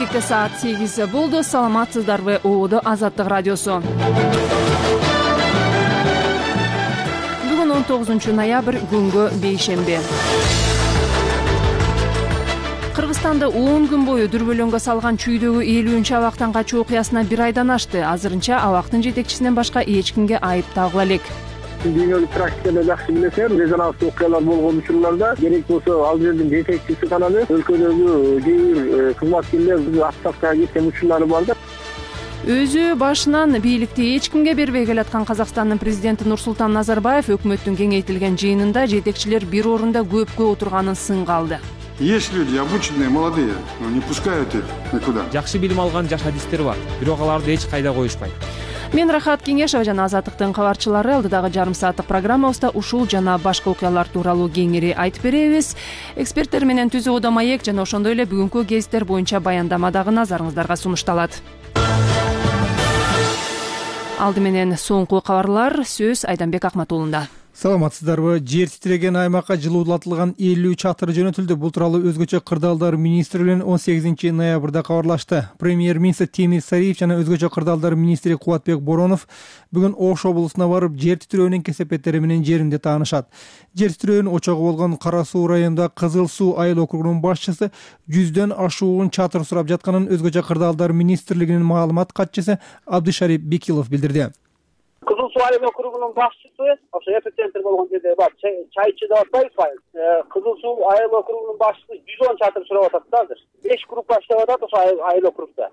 Эфирде саат 8 болду. Саламатсыздарбы? ООД Азаттык радиосу. Бүгүн 19 ноябрь, күнгө бейшемби. Кыргызстанда 10 күн бою дүрбөлөңгө салган чүйдөгү 50 абактан качуу окуясына бир айдан ашты. Азырынча абактын жетекчисинен башка эч кимге айып тагыла элек. Дүйнөлүк практиканы жакшы билесем, резонанстуу окуялар болгон учурларда керек болсо ал жердин жетекчиси гана эмес, өлкөдөгү кээ бир кызматкерлер отставкага кеткен учурлары бар да. Өзү башынан бийликти эч кимге бербей келаткан Казакстандын президенти Нурсултан Назарбаев өкмөттүн кеңейтилген жыйынында жетекчилер бир орунда көпкө отурганын сынга алды. Есть люди обученные, молодые, но не пускают их никуда. Жакшы билим алган жаш адистер бар, бирок аларды эч кайда коюшпайт. Мен Рахат Кеңешова жана Азаттыктын кабарчылары алдыдагы жарым сааттык программабызда ушул жана башка окуялар тууралуу кеңири айтып беребиз. Эксперттер менен түзүү ода маек жана ошондой эле бүгүнкү кезиттер боюнча баяндама дагы назарыңыздарга сунушталат. Алды менен соңку кабарлар, сөз Айданбек Акматуулунда. Саламатсыздарбы? Жер титиреген аймакка жылуулатылган 50 чатыр жөнөтүлдү. Бул тууралуу өзгөчө кырдаалдар министрлигинин 18 ноябрда кабарлашты. Премьер-министр Темир Сариев жана өзгөчө кырдаалдар министри Кубатбек Боронов бүгүн Ош облусуна барып, жер титирөөнүн кесепеттери менен жеринде таанышат. Жер титирөөнүн очогу болгон Кара Суу районунда Кызыл Суу айыл округунун башчысы 100дөн ашуун чатыр сурап жатканын өзгөчө кырдаалдар министрлигинин маалымат катчысы Абдышарип Бекилов билдирди. Кызыл Суу айыл округунун башчысы, ошо эпицентр болгон жерде бар, чайчы деп атпайбыз. Кызыл Суу айыл округунун башчысы 110 чатыр сурап атат да азыр. 5 группа иштеп атат ошо айыл округда.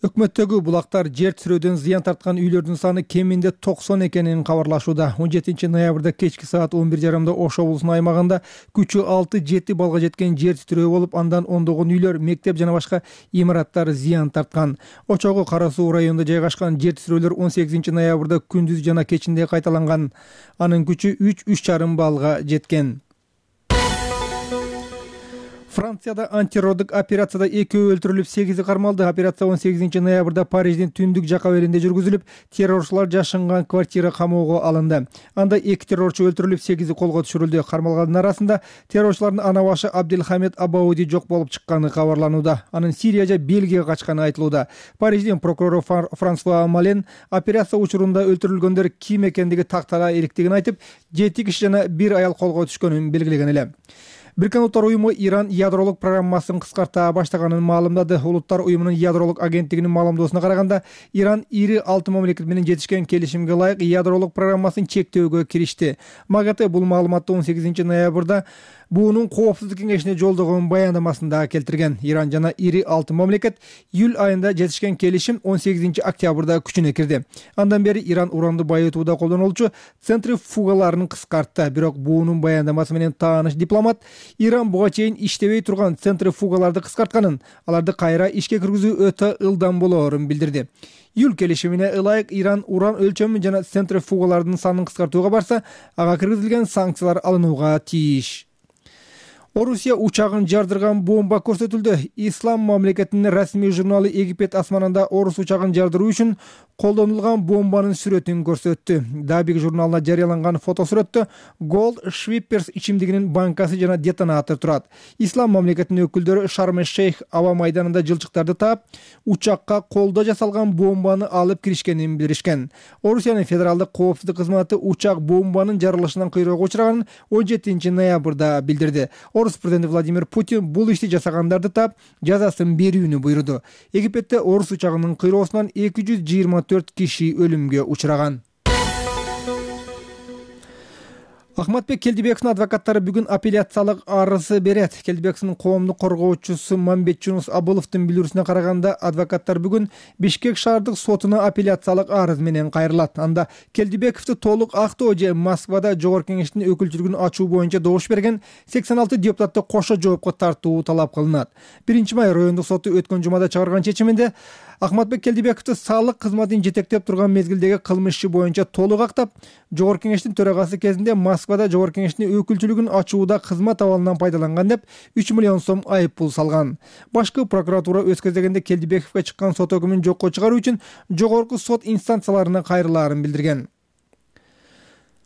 Өкмөттөгү булактар жер титирөөдөн зыян тарткан үйлөрдүн саны кеминде 90 экенин кабарлашууда. 17 ноябрда кечки саат 11:30 Ош облусунун аймагында күчү 6-7 балга жеткен жер титирөө болуп, андан ондогон үйлөр, мектеп жана башка имараттар зыян тарткан. Очогу Кара Суу районунда жайгашкан жер титирөөлөр 18 ноябрда күндүз жана кечинде кайталанган. Анын күчү 3,5 балга жеткен. Францияда антитеррорлук операцияда 2 өлтүрүлүп, 8 кармалды. Операция 18 ноябрда Париждин түндүк жака беринде жүргүзүлүп, террорчулар жашынган квартира камоого алынды. Анда 2 террорчу өлтүрүлүп, 8 колго түшүрүлдү. Кармалгандын арасында террорчулардын ана башы Абделхамед Абауди жок болуп чыкканы кабарланууда. Анын Сирия же Бельгияга качканы айтылууда. Париждин прокурору Франсуа Мален операция учурунда өлтүрүлгөндөр ким экендиги тактала эриктигин айтып, 7 киши жана 1 аял колго түшкөнүн белгилеген эле. Бириккен Улуттар уюму Иран ядролук программасын кыскарта баштаганын маалымдады. Улуттар уюмунун ядролук агенттигинин маалымдоосуна караганда, Иран ири 6 мамлекет менен жетишкен келишимге ылайык ядролук программасын чектөөгө киришти. МАГАТЭ бул маалыматты 18 ноябрда буунун Коопсуздук кеңешине жолдогон баяндамасында келтирген. Иран жана ири 6 мамлекет июль айында жетишкен келишим 18 октябрда күчүнө кирди. Андан бери Иран уранды байытууда колдонулчу центрифугаларын кыскартты. Бирок буунун баяндамасы менен тааныш дипломат Иран буга чейин иштебей турган центрифугаларды кыскартканын, аларды кайра ишке киргизүү өтө ылдам болоорун билдирди. Июль келишимине ылайык Иран уран өлчөмүн жана центрифугалардын санын кыскартууга барса, ага киргизилген санкциялар алынууга тийиш. Орусия учагын жардырган бомба көрсөтүлдү. Ислам мамлекетинин расмий журналы Египет асманында Орус учагын жардыруу үчүн колдонулган бомбанын сүрөтүн көрсөттү. Дабик журналына жарыяланган фотосүрөттө Gold Schweppers ичимдигинин банкасы жана детонатор турат. Ислам мамлекетинин өкүлдөрү Шарм-эль-Шейх аба майданында жылчыктарды таап, учакка колдо жасалган бомбаны алып киришкенин билдиришкен. Орусиянын федералдык коопсуздук кызматы учак бомбанын жарылышынан кыйроого учураганын 17 ноябрда билдирди. Орус президенти Владимир Путин бул ишти жасагандарды таап, жазасын берүүнү буйруду. Египетте Орус учагынын кыйроосунан 224 киши өлүмгө учураган. Ахматбек Келдибековдун адвокаттары бүгүн апелляциялык арыз берет. Келдибековдун коомдук коргоочусу Мамбет Жунус Абыловдун билдирүүсүнө караганда, адвокаттар бүгүн Бишкек шаардык сотуна апелляциялык арыз менен кайрылат. Анда Келдибековду толук актоо же Москвада жогорку кеңештин өкүлчүлүгүн ачуу боюнча добуш берген 86 депутатты кошо жоопко тартуу талап кылынат. 1 май райондук соту өткөн жумада чыгарган чечиминде Ахматбек Келдибековду салык кызматын жетектеп турган мезгилдеги кылмыш иши боюнча толук актап, жогорку кеңештин төрагасы кезинде Москвада жогорку кеңештин өкүлчүлүгүн ачууда кызмат абалынан пайдаланган деп 3 миллион сом айып пул салган. Башкы прокуратура өз кезегинде Келдибековго чыккан сот өкүмүн жокко чыгаруу үчүн жогорку сот инстанцияларына кайрылаарын билдирген.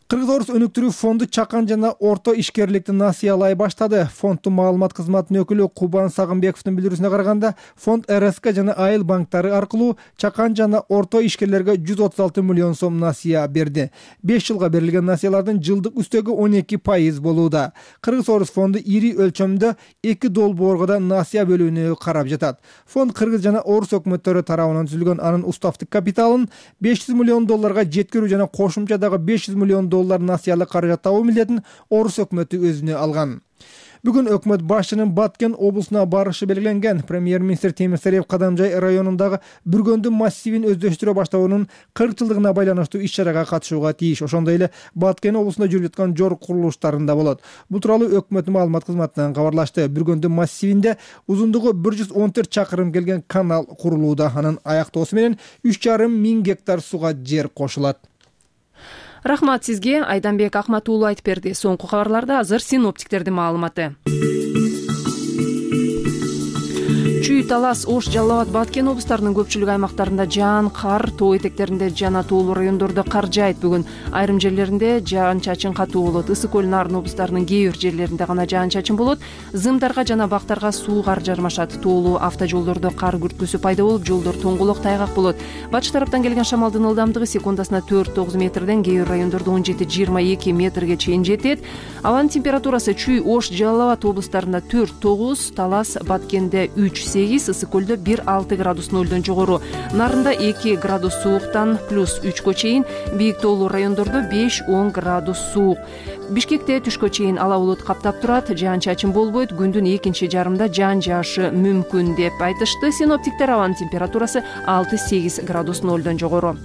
Кыргыз Орус өнүктүрүү фонду чакан жана орто ишкерликти насыялай баштады. Фонддун маалымат кызматынын өкүлү Кубан Сагынбековдун билдирүүсүнө караганда, фонд РСК жана айыл банктары аркылуу чакан жана орто ишкерлерге 136 миллион сом насыя берди. 5 жылга берилген насыялардын жылдык үстөгү 12% болууда. Кыргыз Орус фонду ири өлчөмдө 2 долбоорго да насыя бөлүүнү карап жатат. Фонд Кыргыз жана Орус өкмөттөрү тарабынан түзүлгөн анын уставдык капиталын 500 миллион долларга жеткирүү жана кошумча дагы 500 миллион доллар насыялык каражат табуу милдетин Орус өкмөтү өзүнө алган. Бүгүн өкмөт башчынын Баткен облусуна барышы белгиленген. Премьер-министр Темир Сариев Кадамжай районундагы Бүргөндү массивин өздөштүрө баштоонун 40 жылдыгына байланыштуу иш-чарага катышууга тийиш. Ошондой эле Баткен облусунда жүрүп жаткан жор курулуштарында болот. Бул тууралуу өкмөттүн маалымат кызматынан кабарлашты. Бүргөндү массивинде узундугу 114 чакырым келген канал курулууда. Анын аяктоосу менен 3,5 миң гектар сууга жер кошулат. Рахмат сизге, Айданбек Акмат уулу айтып берди. Соңку кабарларда азыр синоптиктердин маалыматы. Чүй, Талас, Ош, Жалал Абад, Баткен облустарынын көпчүлүк аймактарында жаан, кар, тоо этектеринде жана тоолуу райондордо кар жаайт. Бүгүн айрым жерлеринде жаан-чачын катуу болот. Ысык көл, Нарын облустарынын кээ бир жерлеринде гана жаан-чачын болот. Зымдарга жана бактарга суу кар жармашат. Тоолуу автожолдордо кар күрткүсү пайда болуп, жолдор тоңголок, тайгак болот. Батыш тараптан келген шамалдын ылдамдыгы секундасына 4-9 метрден, кээ бир райондордо 17-22 метрге чейин жетет. Абанын температурасы Чүй, Ош, Жалал Абад облустарында 4-9, Талас, Баткенде 3-8, ысык көлдө 1-6 градус нөлдөн жогору, Нарында 2 градус сууктан +3 чейин, бийик тоолуу райондордо 5-10 градус суук. Бишкекте түшкө чейин ала булут каптап турат, жаан-чачын болбойт, күндүн экинчи жарымында жаан жаашы мүмкүн деп айтышты синоптиктер. Абанын температурасы 6-8 градус нөлдөн жогору.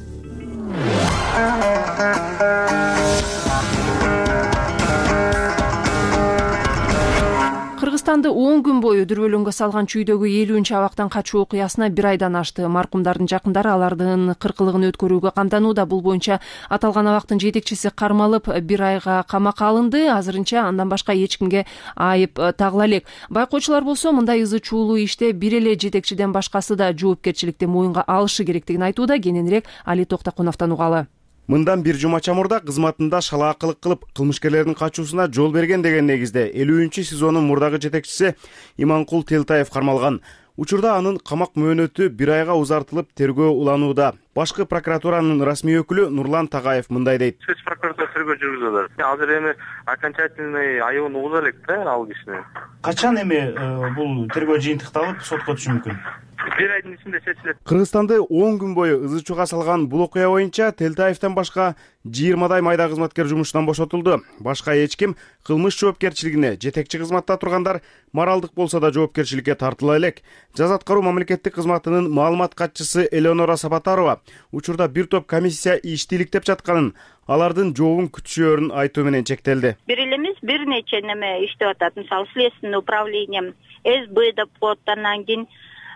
Кыргызстанды 10 күн бою дүрбөлөңгө салган Чүйдөгү 50 абактан качуу окуясына 1 айдан ашты. Маркумдардын жакындары алардын 40-лыгын өткөрүүгө камданууда. Бул боюнча аталган абактын жетекчиси кармалып 1 айга камакка алынды. Азырынча андан башка эч кимге айып тагыла элек. Байкоочулар болсо мындай ызы чуулуу иште бир эле жетекчиден башкасы да жоопкерчиликти моюнга алышы керектигин айтууда. Кененирээк Али Токтокуновдон угалы. Мындан 1 жума чамурда кызматында шалаакылык кылып кылмышкерлердин качуусуна жол берген деген негизде 50-сезонун мурдагы жетекчиси Иманкул Телтаев кармалган. Учурда анын камак мөөнөтү 1 айга узартылып тергөө уланууда. Башкы прокуратуранын расмий өкүлү Нурлан Тагаев мындай дейт. Спец прокуратура тергөө жүргүзүп атат. Азыр эми окончательный айыбын угуза элек да ал кишини. Качан эми бул тергөө жыйынтыкталып сотко түшүшү мүмкүн? 1 айдын ичинде чечилет. Кыргызстанды 10 күн бою ызы чууга салган бул окуя боюнча Телтаевден башка 20 майда кызматкер жумуштан бошотулду. Башка эч ким кылмыш жоопкерчилигине, жетекчи кызматта тургандар моралдык болсо да жоопкерчиликке тартыла элек. Жаза аткаруу мамлекеттик кызматынын маалымат катчысы Элеонора Сапатарова учурда бир топ комиссия ишти иликтеп жатканын, алардын жообун күтүшөөрүн айтуу менен чектелди. Бир эле эмес, бир нече неме иштеп атат. Мисалы, следственный управление, СБ деп коет, анан кийин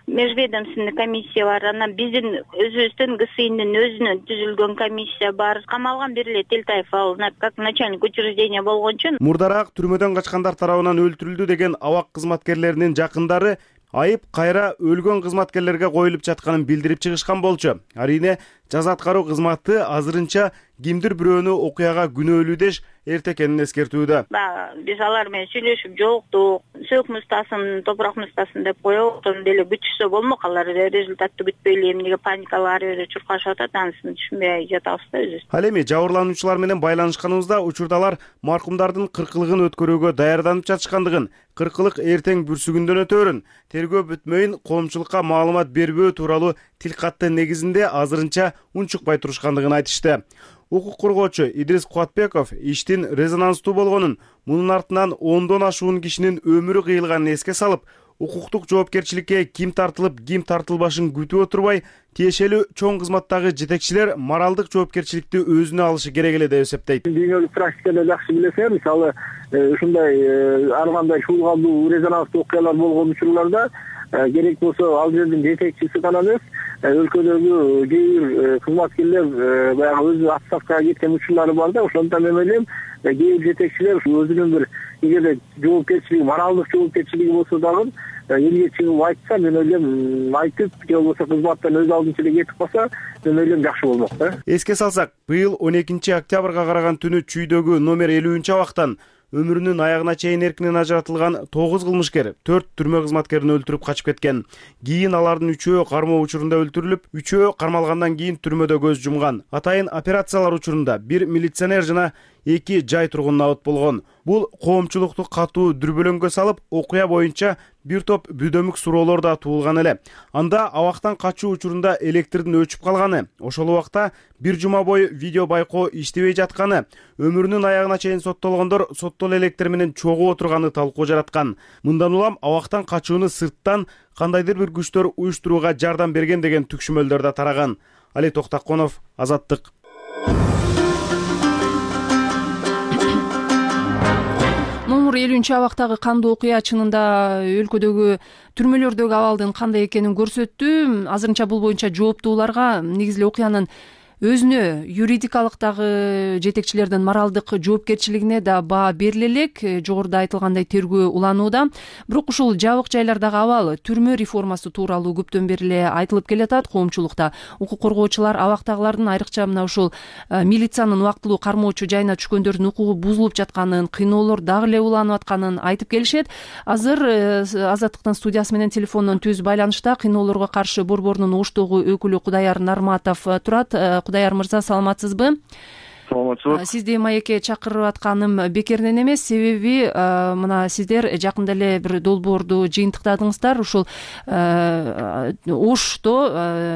межведомственный комиссия бар, анан биздин өзүбүздүн ГСИнин өзүнүн түзүлгөн комиссия бар. Камалган бир эле Телтаев ал как начальник учреждения болгончу. Мурдараак түрмөдөн качкандар тарабынан өлтүрүлдү деген абак кызматкерлеринин жакындары айып кайра өлгөн кызматкерлерге коюлуп жатканын билдирип чыгышкан болчу. Арине жаза аткаруу кызматы азырынча кимдир бирөөнү окуяга күнөөлүү деш эрте экенин эскертүүдө. Биз алар менен сүйлөшүп жолуктук, сөөк мустасын, топурак мустасын деп коёбуз. Ошондо деле күтүшсө болмок, алар результатты күтпөй эле эмнеге паникалап ары бери чуркашып атат, анысын түшүнбөй жатабыз да өзүбүз. Ал эми жабырлануучулар менен байланышканыбызда учурдалар маркумдардын 40-лыгын өткөрүүгө даярданып жатышкандыгын, 40-лык эртең бүрсүгүндөн өтөөрүн, тергөө бүтмөйүн коомчулукка маалымат бербөө тууралуу тил катты негизинде азырынча унчукпай турушкандыгын айтышты. Укук коргоочу Идрис Куатбеков иштин резонанстуу болгонун, мунун артынан 10дон ашуун кишинин өмүрү кыйылганын эске салып, укуктук жоопкерчиликке ким тартылып, ким тартылбашын күтүп отурбай, тиешелүү чоң кызматтагы жетекчилер моралдык жоопкерчиликти өзүнө алышы керек эле деп эсептейт. Дүйнөлүк практикада жакшы билесиз, мисалы ушундай ар кандай чуулгандуу резонанстуу окуялар болгон учурларда керек болсо ал жердин жетекчиси гана эмес, өлкөдөгү кээ бир кызматкерлер баягы өзү отставкага кеткен учурлары бар да. Ошондон мен ойлойм, кээ бир жетекчилер өзүнүн бир эгерде жоопкерчилиги, моралдык жоопкерчилиги болсо дагы элге чыгып айтса, мен ойлойм, айтып же болбосо кызматтан өз алдынча эле кетип калса, мен ойлойм жакшы болмок да. Эске салсак, быйыл 12 октябрга караган түнү Чүйдөгү номер 50-абактан өмүрүнүн аягына чейин эркинен ажыратылган 9 кылмышкер 4 түрмө кызматкерин өлтүрүп качып кеткен. Кийин алардын 3-өө кармоо учурунда өлтүрүлүп, 3-өө кармалгандан кийин түрмөдө көз жумган. Атайын операциялар учурунда 1 милиционер жана 2 жай тургун абыт болгон. Бул коомчулукту катуу дүрбөлөңгө салып, окуя боюнча бир топ бүдөмүк суроолор да туулган эле. Анда абактан качуу учурунда электрдин өчүп калганы, ошол убакта бир жума бою видео байкоо иштебей жатканы, өмүрүнүн аягына чейин соттолгондор соттол электр менен чогуу отурганы талкуу жараткан. Мындан улам абактан качууну сырттан кандайдыр бир күчтөр уюштурууга жардам берген деген түкшүмөлдөр да тараган. Али Токтаконов, Азаттык. Номер 50-абактагы кандуу окуя чынында өлкөдөгү түрмөлөрдөгү абалдын кандай экенин көрсөттү. Азырынча бул боюнча жооптууларга негизи окуянын өзүнө юридикалык дагы жетекчилердин моралдык жоопкерчилигине да баа бериле элек. Жогоруда айтылгандай тергөө уланууда. Бирок ушул жабык жайлардагы абал түрмө реформасы тууралуу көптөн бери эле айтылып келатат коомчулукта. Укук коргоочулар абактагылардын, айрыкча мына ушул милициянын убактылуу кармоочу жайына түшкөндөрдүн укугу бузулуп жатканын, кыйноолор дагы эле уланып атканын айтып келишет. Азыр Азаттыктын студиясы менен телефондон түз байланышта кыйноолорго каршы борборунун Оштогу өкүлү Кудаяр Нарматов турат. Кудаяр мырза, саламатсызбы? Саламатчылык. Сизди маекке чакырып атканым бекерден эмес, себеби мына сиздер жакында эле бир долбоорду жыйынтыктадыңыздар. Ушул Ошто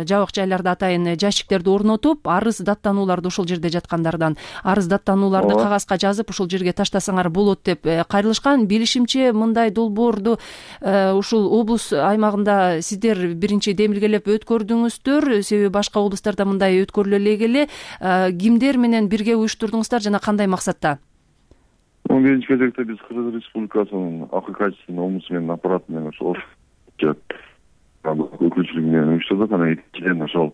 жабык жайларда атайын жашиктерди орнотуп, арыз даттанууларды ошол жерде жаткандардан арыз даттанууларды кагазга жазып ошол жерге таштасаңар болот деп кайрылышкан. Билишимче, мындай долбоорду ушул облус аймагында сиздер биринчи демилгелеп өткөрдүңүздөр, себеби башка облустарда мындай өткөрүлө элек эле. Кимдер менен бирге уюштурдуңуздар жана кандай максатта? Биринчи кезекте биз Кыргыз Республикасынын акыйкатчысынын облусу менен аппараты менен ошол өкүлчүлүгү менен уюштурдук. Анан экинчиден ошол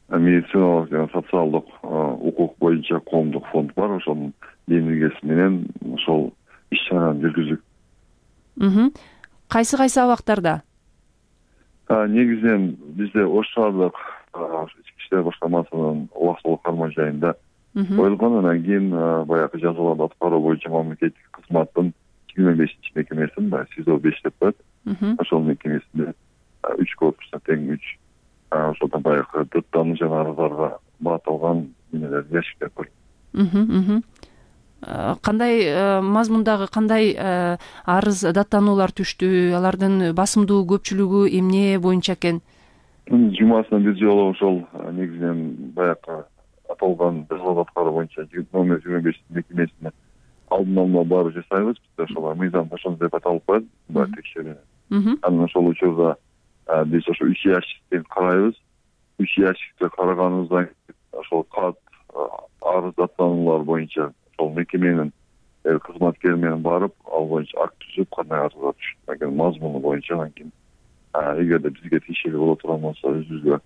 медициналык жана социалдык укук боюнча коомдук фонд бар. Ошонун демилгеси менен ошол иш-чараны жүргүздүк. Кайсы абактарда? Негизинен бизде Ош шаардык ички иштер башкармасынын убактылуу кармоо жайында коюлган. Анан кийин баягы жазаларды аткаруу боюнча мамлекеттик кызматтын 25-чи мекемесин, СИЗО 5 деп коет. Ошол мекемесинде 3 корпуста тең 3 ошолдон баягы даттануу жана арыздарга багытталган эмелер, ящиктер бар. Кандай мазмундагы кандай арыз даттануулар түштү? Алардын басымдуу көпчүлүгү эмне боюнча экен? Жумасына бир жолу ошол негизинен баягы аталган жазаларды аткаруу боюнча номер 25 мекемесине алдын алуу баары жасайбыз. Биз ошол мыйзам ошондой деп аталып коет, текшерүү. Анан ошол учурда биз ошо 3 ящикти карайбыз. 3 ящикти караганыбыздан ошол кат арыз даттануулар боюнча ошол мекеменин кызматкери менен барып, ал боюнча акт түзүп, кандай арызга түшүп, мазмуну боюнча анан кийин эгерде бизге тиешелүү боло турган болсо өзүбүзгө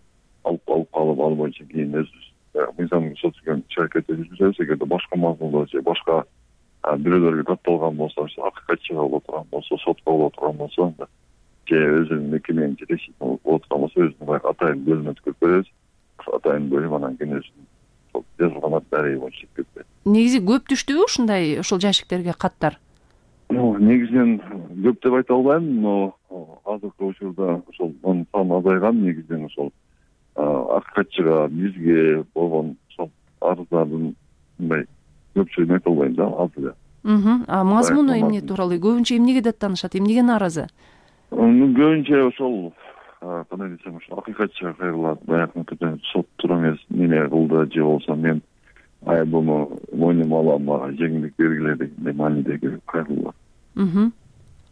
алып калып, ал боюнча кийин өзүбүз мыйзам көрсөтүлгөн иш-аракетти жүргүзөбүз. Эгерде башка мазмунда же башка бирөөлөргө датталган болсо, акыйкатчыга боло турган болсо, сотко боло турган болсо, же өзүнүн мекеменин жетекчиси боло турган болсо, өзүнүн баягы атайын бөлүмүнө өткөрүп беребиз. Атайын бөлүм анан кийин өзүнүн жазылган дареги боюнча өткөрүп берет. Негизи көп түштүбү ушундай ошол жашиктерге каттар? Негизинен көп деп айта албайм, но азыркы учурда ошол саны азайган. Негизинен ошол акыйкатчыга, бизге болгон ошол арыздардын мындай көпчүлүгүн айта албайм да, аз эле. Мазмуну эмне тууралуу? Көбүнчө эмнеге даттанышат? Эмнеге нааразы? Көбүнчө ошол кандай десем, ошол акыйкатчыга кайрылат. Баягы сот тура эмес неме кылды, же болбосо мен айыбымы мойнума алам, жеңилдик бергиле дегендей маанидеги кайрылуулар.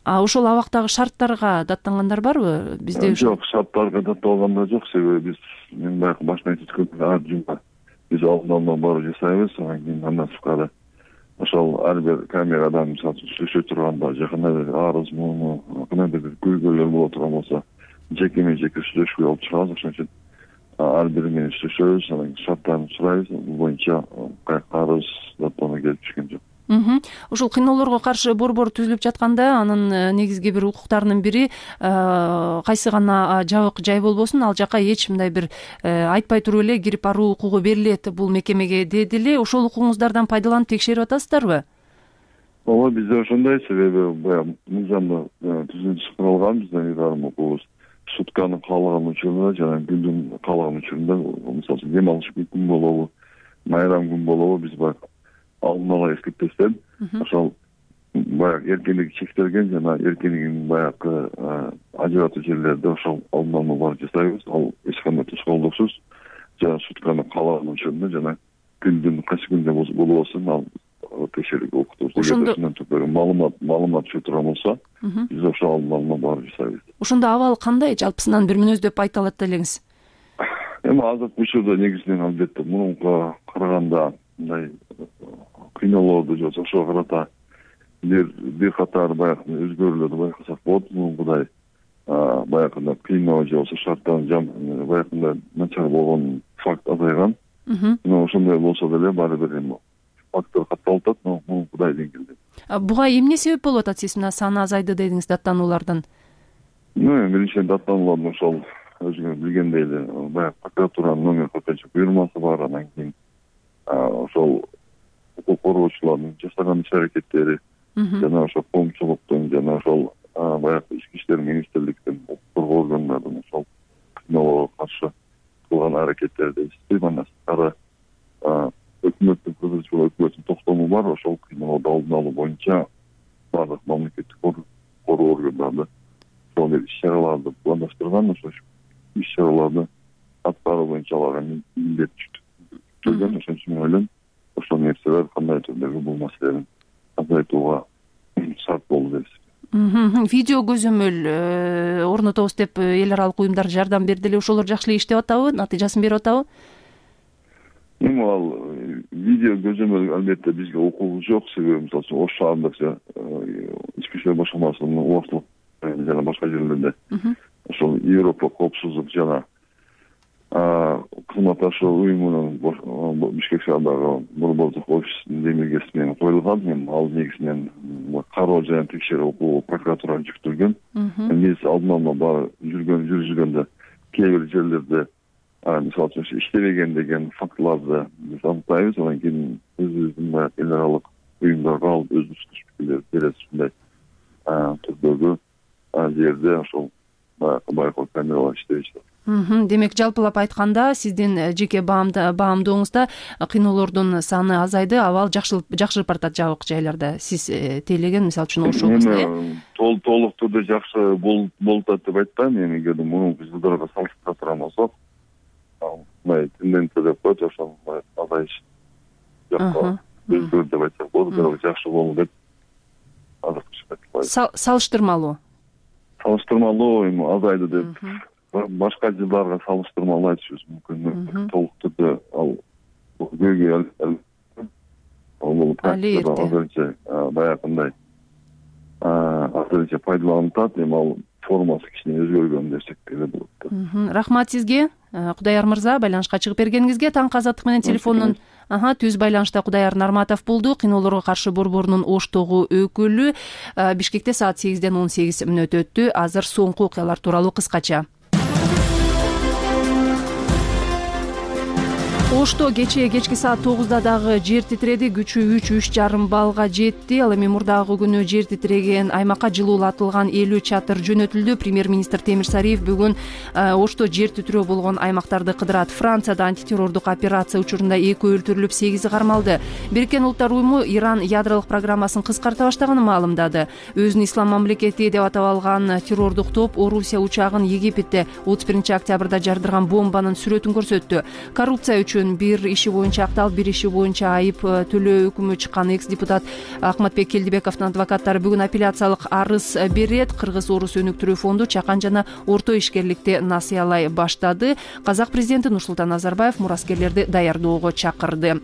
Ошол абактагы шарттарга даттангандар барбы? Бизде жок, шарттарга датталгандар жок. Себеби мен баягы башына айтып өткөм, биз алдын алуу баары жасайбыз. Анан кийин андан сырткары ошол ар бир камерадан мисалы үчүн сүйлөшө турганда, же кандайдыр арыз муну, кандайдыр бир көйгөйлөр боло турган болсо, жеке сүйлөшүүгө алып чыгабыз. Ошон үчүн ар бири менен сүйлөшөбүз, анан шарттарын сурайбыз. Бул боюнча арыз даттануу келип түшкөн жок. Ушул кыйноолорго каршы борбор түзүлүп жатканда анын негизги бир укуктарынын бири кайсы гана жабык жай болбосун ал жака эч мындай бир айтпай туруп эле кирип баруу укугу берилет бул мекемеге дедиле. Ошол укугуңуздардан пайдаланып текшерип атасыздарбы? Ооба, бизде ошондой, себеби баягы мыйзамда түзүлүш кылган биздин ыйгарым укугубуз сутканын каалаган учурунда жана күндүн каалаган учурунда, мисалы үчүн дем алыш күн болобу, майрам күн болобу, биз баягы алдын ала эскертпестен ошол баягы эркиндиги чектелген жана эркиндигин баягы ажыратуу жерлерде ошол алдын ала бар жасайбыз. Ал эч кандай тускоолдуксуз жана сутканы каалаган учурунда жана күндүн кайсы күндө болбосун ал текшерип окутубуз. Ошондон түпкүрү маалымат түшө турган болсо, биз ошол алдын ала барып жасайбыз. Ошондо абал кандай? Жалпысынан бир мүнөздөп айта алат элеңиз? Эми азыркы учурда негизинен албетте мурункуга караганда мындай кыйноолорду же ошого карата бир катар баягы өзгөрүүлөрдү байкасак болот. Мурункудай баягы кыйноо же болбосо шарттардын баягы начар болгон факт азайган. Ошондой болсо деле баары бир фактор катталып атат, но мурункудай деңгээлде. Буга эмне себеп болуп атат? Сиз мына саны азайды дедиңиз, даттануулардын. Биринчиден даттануулардын ошол өзүңүз билгендей эле баягы прокуратуранын номер кыркынчы буйрмасы бар, анан кийин ошол укук коргоочулардын жасаган иш-аракеттери жана ошол коомчулуктун жана ошол баягы ички иштер министрликтин укук коргоо органдарынын ошол кыйноолорго каршы кылган аракеттерди сыйманасары өкмөттүн кызычулуу өкмөттүн токтому бар. Ошол кыйноолорду алдын алуу боюнча баардык мамлекеттик коргоо органдары ошол иш-чараларды пландаштырган, ошол иш-чараларды аткаруу боюнча аларга милдет жүктөлгөн. Ошон үчүн мен ойлойм, ошол нерселер кандай түрдөгү бул маселени азайтууга шарт болду дейбиз. Видео көзөмөл орнотобуз деп эл аралык уюмдар жардам берди эле. Ошолор жакшы эле иштеп атабы? Натыйжасын берип атабы? Эми ал видео көзөмөл албетте бизге укугу жок, себеби мисалы үчүн Ош шаарындагы ички иштер башкармасынын убактылык жана башка жерлерде ошол Европа коопсуздук жана кызматташуу уюмунун Бишкек шаарындагы борбордук офисинин демилгеси менен коюлган. Ал негизинен кароо жана текшерүү укугу прокуратурага жүктөлгөн. Биз алдын ала баары жүргүзгөндө кээ бир жерлерде мисалы үчүн иштебеген деген фактыларды биз аныктайбыз. Анан кийин өзүбүздүн баягы эл аралык уюмдарга алып өзүбүз пикирлер беребиз. Ушундай түрдөгү жерде ошол байкоо камералар иштебейт. Демек, жалпылап айтканда, сиздин жеке баамдооңузда кыйноолордун саны азайды, абал жакшырып баратат жабык жайларда. Сиз тейлеген, мисалы үчүн Ош облусунда толук түрдө жакшы болуп атат деп айтпайм. Эми эгерде мурунку жылдарга салыштыра турган болсок, мындай тенденция деп коет, ошол азайыш жакка өзгөрдү деп айтсак болот. Бирок жакшы болду деп азыркы айтпайм. Салыштырмалуу эми азайды деп башка жылдарга салыштырмалуу айтышыбыз мүмкүн. Толук түрдө ал көйгөй азырынча баягындай азырынча пайдаланып атат. Эми ал формасы кичине өзгөргөн десек эле болот. Рахмат сизге, Кудаяр мырза, байланышка чыгып бергениңизге. Таңкы азаттык менен телефондон түз байланышта Кудаяр Нарматов болду. Кыйноолорго каршы борборунун Оштогу өкүлү. Бишкекте саат 8ден 18 мүнөт өттү. Азыр соңку окуялар тууралуу кыскача. Ошто кечки саат 9да дагы жер титиреди. Күчү 3,5 баллга жетти. Ал эми мурдагы күнү жер титиреген аймакка жылуулатылган 50 чатыр жөнөтүлдү. Премьер-министр Темир Сариев бүгүн Ошто жер титирөө болгон аймактарды кыдырат. Францияда антитеррордук операция учурунда 2 өлтүрүлүп, 8 кармалды. Бириккен Улуттар уюму Иран ядролук программасын кыскарта баштаганын маалымдады. Өзүн ислам мамлекети деп атап алган террордук топ Орусия учагын Египетте 31-октябрда жардырган бомбанын сүрөтүн көрсөттү. Коррупция үчүн бир иши боюнча акталып, бир иши боюнча айып төлөө өкүмү чыккан экс-депутат Акматбек Келдибековдун адвокаттары бүгүн апелляциялык арыз берет. Кыргыз-Орус өнүктүрүү фонду чакан жана орто ишкерликти насыялай баштады. Казак президенти Нурсултан Назарбаев мураскерлерди даярдоого чакырды.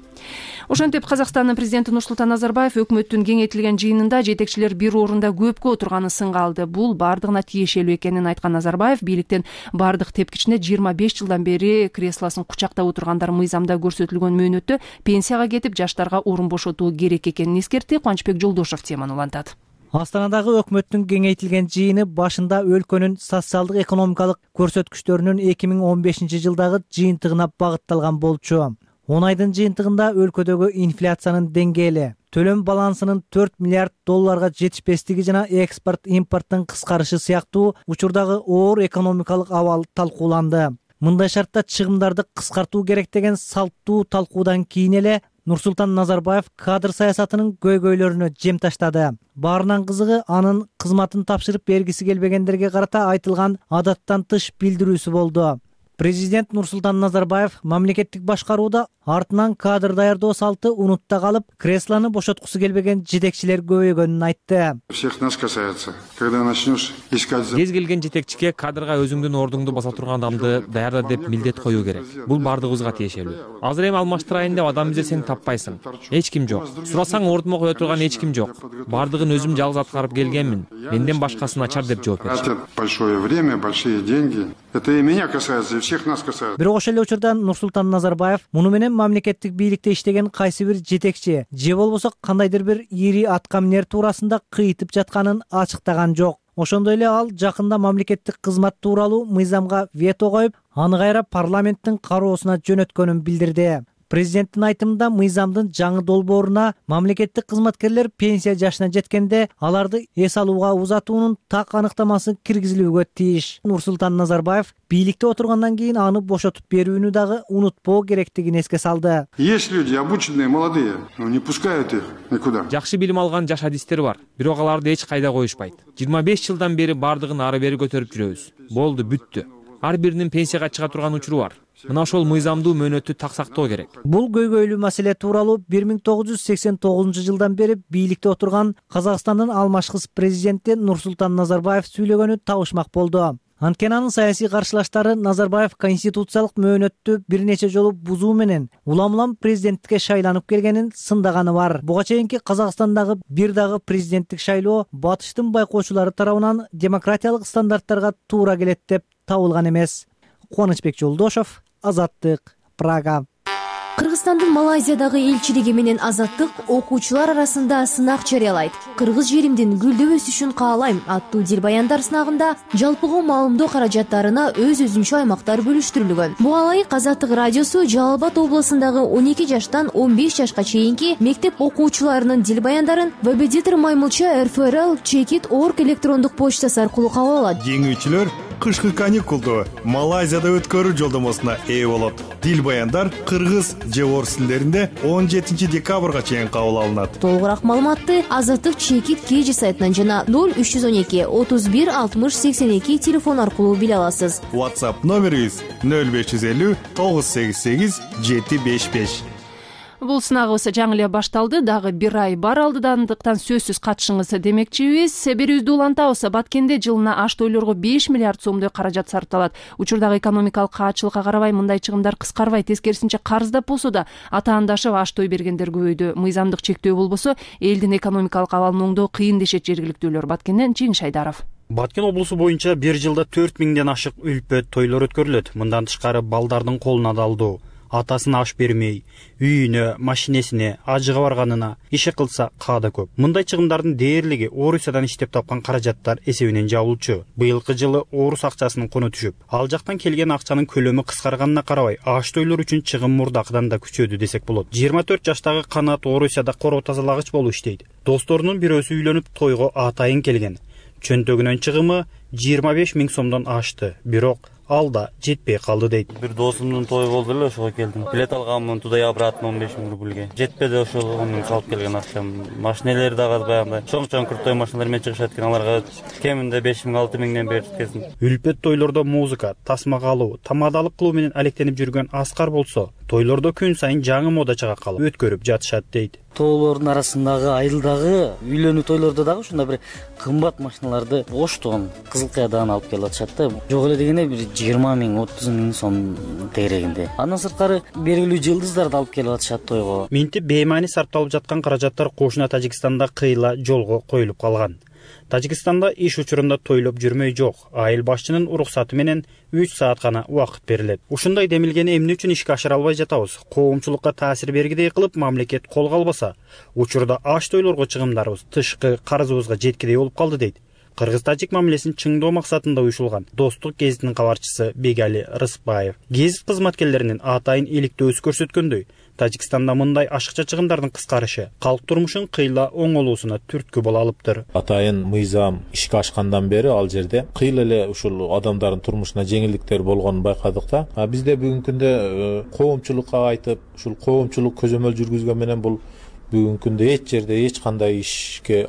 Ошентип Казакстандын президенти Нурсултан Назарбаев өкмөттүн кеңейтилген жыйынында жетекчилер бир орунда көпкө отурганын сынга алды. Бул бардыгына тиешелүү экенин айткан Назарбаев бийликтен бардык тепкичине 25 жылдан бери креслосын кучактап отургандар мыйзамда көрсөтүлгөн мөөнөттө пенсияга кетип жаштарга орун бошотуу керек экенин эскертти. Кубанычбек Жолдошев теманы улантат. Астанадагы өкмөттүн кеңейтилген жыйыны башында өлкөнүн социалдык экономикалык көрсөткүчтөрүнүн 2015 жылдагы жыйынтыгына багытталган болчу. 10 айдын жыйынтыгында өлкөдөгү инфляциянын деңгээли, төлөм балансынын 4 миллиард долларга жетишпестиги жана экспорт-импорттун кыскарышы сыяктуу учурдагы оор экономикалык абал талкууланды. Мындай шартта чыгымдарды кыскартуу керек деген салттуу талкуудан кийин эле Нурсултан Назарбаев кадр саясатынын көйгөйлөрүнө жем таштады. Баарынан кызыгы анын кызматын тапшырып бергиси келбегендерге карата айтылган адаттан тыш билдирүүсү болду. Президент Нурсултан Назарбаев мамлекеттик башкарууда артынан кадр даярдоо салты унутта калып, креслону бошоткусу келбеген жетекчилер көбөйгөнүн айтты. Всех нас касается. Когда начнешь искать... Кез келген жетекчиге кадрга өзүңдүн ордуңду баса турган адамды даярда деп милдет коюу керек. Бул бардыгыбызга тиешелүү. Азыр эми алмаштырайын деп адам изесең таппайсың. Эч ким жок. Сурасаң ордума кое турган эч ким жок. Бардыгын өзүм жалгыз аткарып келгенмин. Менден башкасын ачар деп жооп беришти. Большое время, большие деньги. Это и меня касается, и всех нас касается. Бирок ошол эле учурда Нурсултан Назарбаев муну менен мамлекеттик бийликте иштеген кайсы бир жетекчи же болбосо кандайдыр бир ири аткаминер туурасында кыйтып жатканын ачыктаган жок. Ошондой эле ал жакында мамлекеттик кызмат тууралуу мыйзамга вето коюп, аны кайра парламенттин кароосуна жөнөткөнүн билдирди. Президенттин айтымында мыйзамдын жаңы долбооруна мамлекеттик кызматкерлер пенсия жашына жеткенде аларды эс алууга узатуунун так аныктамасы киргизилүүгө тийиш. Нурсултан Назарбаев бийликте отургандан кийин аны бошотуп берүүнү дагы унутпоо керектигин эске салды. Есть люди обученные, молодые, но не пускают их никуда. Жакшы билим алган жаш адистер бар, бирок аларды эч кайда коюшпайт. 25 жылдан бери бардыгын ары бери көтөрүп жүрөбүз. Болду, бүттү. Ар биринин пенсияга чыга турган учуру бар. Мына ошол мыйзамдуу мөөнөттү так сактоо керек. Бул көйгөйлүү маселе тууралуу 1989 жылдан бери бийликте отурган Казакстандын алмашкыс президенти Нурсултан Назарбаев сүйлөгөнү табышмак болду. Анткени анын саясий каршылаштары Назарбаев конституциялык мөөнөттү бир нече жолу бузуу менен улам президенттикке шайланып келгенин сындаганы бар. Буга чейинки Казакстандагы бир дагы президенттик шайлоо батыштын байкоочулары тарабынан демократиялык стандарттарга туура келет деп табылган эмес. Кубанычбек Жолдошев, Азаттык, Прага. Кыргызстандын Малайзиядагы элчилиги менен Азаттык окуучулар арасында сынак жарыялайт. Кыргыз жеримдин гүлдөп өсүшүн каалайм аттуу дилбаяндар сынагында жалпыга маалымдоо каражаттарына өз-өзүнчө аймактар бөлүштүрүлгөн. Буга ылайык Азаттык радиосу Жалал Абад облусундагы 12 жаштан 15 жашка чейинки мектеп окуучуларынын дилбаяндарын Вебедитер Маймылча РФРL@checkit.org электрондук почтасы аркылуу кабыл алат. Жеңүүчүлөр кышкы каникулду Малайзияда өткөрүү жолдомосуна ээ болот. Дилбаяндар кыргыз же орус тилдеринде 17 декабрга чейин кабыл алынат. Толугураак маалыматты Азаттык Checkit KG сайтынан жана 0312 31 60 82 телефон аркылуу биле аласыз. WhatsApp номерибиз 0550 988 755. Бул сынагыбыз жаңы эле башталды, дагы бир ай бар алдыдандыктан сөзсүз катышыңыз демекчибиз. Берүүбүздү улантабыз. Баткенде жылына аш тойлорго 5 миллиард сомдой каражат сарпталат. Учурдагы экономикалык каатчылыкка карабай мындай чыгымдар кыскарбайт, тескерисинче карыздап болсо да атаандашып аш той бергендер көбөйдү. Мыйзамдык чектөө болбосо элдин экономикалык абалын оңдоо кыйын дешет жергиликтүүлөр. Баткенден Жеңиш Айдаров. Баткен облусу боюнча бир жылда 4000ден ашык үлпөт тойлор өткөрүлөт. Мындан тышкары балдардын колуна да алдуу. Атасына аш бермей, үйүнө, машинесине, ажыга барганына иши кылса каада көп. Мындай чыгымдардын дээрлиги Орусиядан иштеп тапкан каражаттар эсебинен жабылчу. Быйылкы жылы Орус акчасынын куну түшүп, ал жактан келген акчанын көлөмү кыскарганына карабай, аш тойлор үчүн чыгым мурдакыдан да күчөдү десек болот. 24 жаштагы Канат Орусияда короо тазалагыч болуп иштейт. Досторунун бирөөсү үйлөнүп тойго атайын келген. Чөнтөгүнөн чыгымы 25 000 сомдон ашты. Бирок ал да жетпей калды дейт. Бир досумдун тою болду эле, ошого келдим. Билет алганмын, туда и обратно 15 000 рубльге. Жетпеди ошол онун салып келген акчам. Машинелер дагы баягындай чоң крутой машиналар менен чыгышат экен, аларга кеминде 5 000 6 000ден беришкесин. Үлпөт тойлордо музыка, тасма калуу, тамадалык кылуу менен алектенип жүргөн Аскар болсо, тойлордо күн сайын жаңы мода чыга калып өткөрүп жатышат дейт. Тоолордун арасындагы айылдагы үйлөнүү тойлордо дагы ушундай бир кымбат машиналарды оштон Кызыл Каядан алып келип атышат да. Жок эле дегенде бир 20 миң, 30 миң сом тегерегинде. Андан сырткары белгилүү жылдыздарды алып келип атышат тойго. Минтип беймани сарпталып жаткан каражаттар кошуна Тажикстанда кыйла жолго коюлуп калган. Тажикстанда иш учурунда тойлоп жүрмөй жок. Айыл башчынын уруксаты менен 3 саат гана убакыт берилет. Ушундай демилгени эмне үчүн ишке ашыра албай жатабыз? Коомчулукка таасир бергидей кылып мамлекет колго албаса, учурда аш тойлорго чыгымдарыбыз тышкы карызыбызга жеткидей болуп калды дейт. Кыргыз-тажик мамилесин чыңдоо максатында уюшулган Достук гезитинин кабарчысы Бегали Рыспаев. Гезит кызматкерлеринин атайын иликтөөсү көрсөткөндөй, Тажикстанда мындай ашыкча чыгымдардын кыскарышы калк турмушун кыйла оңолуусуна түрткү боло алыптыр. Атайын мыйзам ишке ашкандан бери ал жерде кыйла эле ушул адамдардын турмушуна жеңилдиктер болгонун байкадык да. Бизде бүгүнкү күндө коомчулукка айтып, ушул коомчулук көзөмөл жүргүзгөн менен бул бүгүнкү күндө эч жерде эч кандай ишке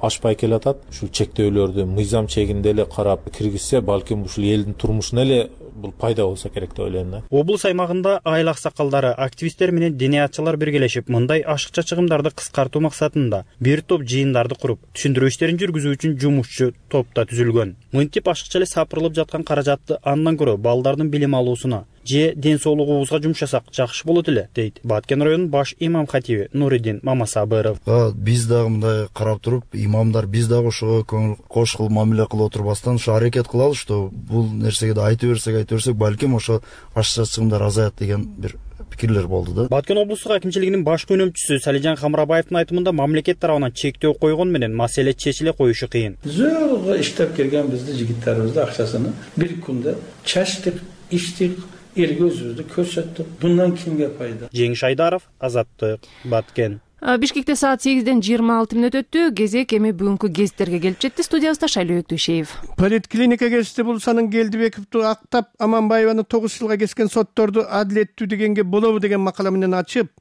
ашпай келатат. Ушул чектөөлөрдү мыйзам чегинде эле карап киргизсе, балким ушул элдин турмушуна эле бул пайда болсо керек деп ойлойм да. Облус аймагында айыл аксакалдары, активисттер менен диниятчылар биргелешип, мындай ашыкча чыгымдарды кыскартуу максатында бир топ жыйындарды куруп, түшүндүрүү иштерин жүргүзүү үчүн жумушчу топ да түзүлгөн. Мынтип ашыкча эле сапырылып жаткан каражатты андан көрө балдардын билим алуусуна же ден соолугубузга жумшасак жакшы болот эле, дейт Баткен районунун баш имам хатиби Нуриддин Мамасабыров. Биз дагы мындай карап туруп, имамдар биз дагы ошого көңүл кошкул мамиле кылып отурбастан ушу аракет кылалы, что бул нерсеге да айта берсек, балким ошо ашыкча чыгымдар азаят деген бир пикирлер болду да. Баткен облустук акимчилигинин баш көмөкчүсү Салижан Хамрабаевдин айтымында мамлекет тарабынан чектөө койгон менен маселе чечиле коюшу кыйын. Зөөгө иштеп келген бизди жигиттерибизди акчасын бир күндө чачтык, иштик, элге өзүбүздү көрсөттүк. Bundan кимге пайда? Жеңиш Айдаров, Азаттык, Баткен. Бишкекте саат 8-ден 26 мүнөт өттү. Кезек эми бүгүнкү гезиттерге келип жетти. Студиябызда Шайлоо Өктүшеев. Поликлиника гезити Булсанын Келдибековду актап, Аманбаеваны 9 жылга кескен сотторду адилеттүү дегенге болобу деген макала менен ачып,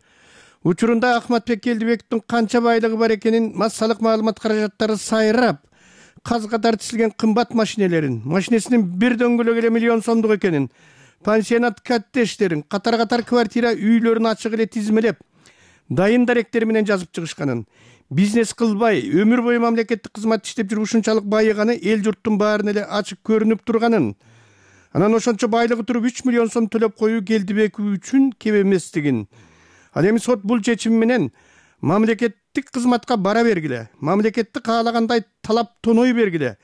учурунда Ахматбек Келдибековдун канча байлыгы бар экенин, массалык маалымат каражаттары сайрап, казга тартылган кымбат машинесинин бир дөңгөлөгү эле миллион сомдук экенин, пансионат каттештерин, катар-катар квартира үйлөрүн ачык эле тизмелеп, дайын даректер менен жазып чыгышканын, бизнес кылбай, өмүр бою мамлекеттик кызмат иштеп жүрүп ушунчалык байыганы эл журттун баарына эле ачык көрүнүп турганын, анан ошончо байлыгы туруп 3 миллион сом төлөп коюу Келдибеков үчүн кеп эместигин. Ал эми сот бул чечим менен мамлекеттик кызматка бара бергиле, мамлекетти каалагандай талап тоной бергиле,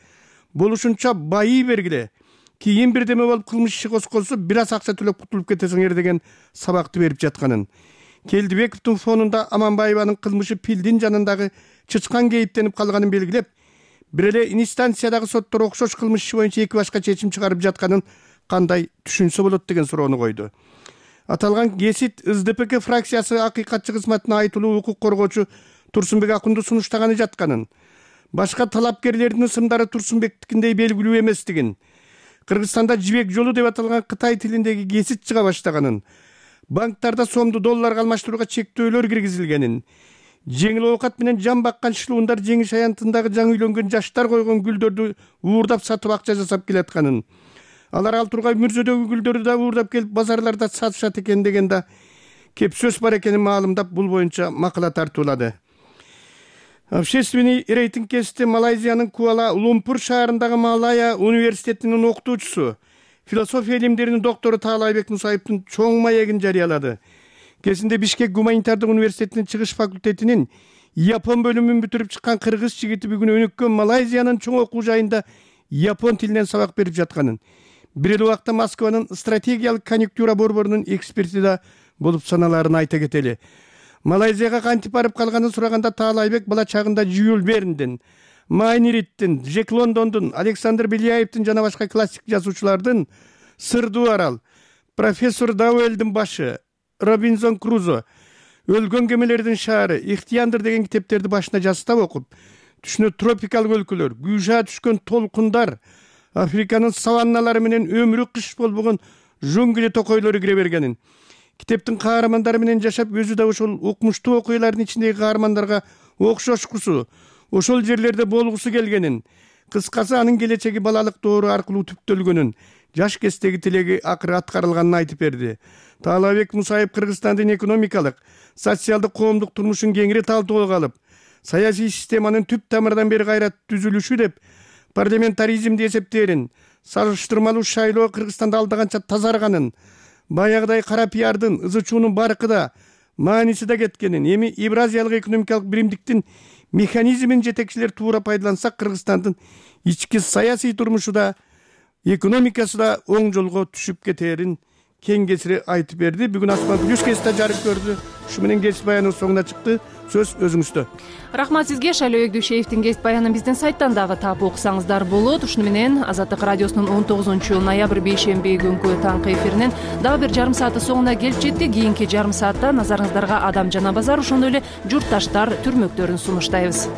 болушунча байый бергиле, кийин бирдеме болуп кылмыш иши козголсо бир аз акча төлөп кутулуп кетесиңер деген сабакты берип жатканын. Келдибековдун фонунда Аманбаеванын кылмышы пилдин жанындагы чычкан кейиптенип калганын белгилеп, бир эле инстанциядагы соттор окшош кылмыш иши боюнча эки башка чечим чыгарып жатканын кандай түшүнсө болот деген суроону койду. Аталган гезит СДПК фракциясы акыйкатчы кызматына айтылуу укук коргоочу Турсунбек Акунду сунуштаганы жатканын, башка талапкерлердин ысымдары Турсунбектикиндей белгилүү эместигин, Кыргызстанда жибек жолу деп аталган Кытай тилиндеги гезит чыга баштаганын, банктарда сомду долларга алмаштырууга чектөөлөр киргизилгенин, жеңил оокат менен жан баккан шлундар жеңиш аянтындагы жаңы үйлөнгөн жаштар койгон гүлдөрдү уурдап сатып акча жасап келатканын, алар ал тургай мүрзөдөгү гүлдөрдү да уурдап келип базарларда сатышат экен деген да кеп сөз бар экенин маалымдап, бул боюнча макала тартуулады. Общественный рейтинг кезите Малайзиянын Куала-Лумпур шаарындагы Малая университетинин окутуучусу, философия илимдеринин доктору Таалайбек Мусаевдин чоң маегин жарыялады. Кезинде Бишкек гуманитардык университетинин чыгыш факультетинин япон бөлүмүн бүтүрүп чыккан кыргыз жигити бүгүн өнүккөн Малайзиянын чоң окуу жайында япон тилинен сабак берип жатканын, бир эле убакта Москванын стратегиялык конъюнктура борборунун эксперти да болуп саналарын айта кетели. Малайзияга кантип барып калганын сураганда Таалайбек бала чагында Жюль Верндин, Майнириттин, Джек Лондондун, Александр Беляевдин жана башка классик жазуучулардын Сырдуу арал, профессор Дауэлдин башы, Робинзон Крузо, Өлгөн кемелердин шаары, Ихтияндыр деген китептерди башына жастап окуп, түшүнө тропикалык өлкөлөр, күйжа түшкөн толкундар, Африканын саванналары менен өмүрү кыш болбогон жунгли токойлору кире бергенин, китептин каармандары менен жашап, өзү да ошол укмуштуу окуялардын ичиндеги каармандарга окшошкусу, ошол жерлерде болгусу келгенин, кыскасы анын келечеги балалык доору аркылуу түптөлгөнүн, жаш кездеги тилеги акыры аткарылганын айтып берди. Таалабек Мусаев Кыргызстандын экономикалык, социалдык, коомдук турмушун кеңири талкуулоого алып, саясий системанын түп тамырдан бери кайра түзүлүшү деп парламентаризмди эсептээрин, салыштырмалуу шайлоо Кыргызстанда алдаганча тазарганын, баягыдай кара пиардын, ызы-чуунун баркыда мааниси да кеткенин, эми Евразиялык экономикалык биримдиктин механизмин жетекчилер туура пайдаланса, Кыргызстандын ички саясий турмушу да, экономикасы да оң жолго түшүп кетерин кең кесири айтып берди. Бүгүн Асман Плюс кесте жарык көрдү. Ушу менен кесип баяныбыз соңуна чыкты. Сөз өзүңүздө. Рахмат сизге. Шайлоо Эгдүшеевдин кесип баянын биздин сайттан дагы таап окусаңыздар болот. Ушуну менен Азаттык радиосунун 19-ноябрь бейшемби күнкү таңкы эфиринен дагы бир жарым сааты соңуна келип жетти. Кийинки жарым саатта назарыңыздарга Адам жана Базар, ошондой эле журтташтар түрмөктөрүн сунуштайбыз.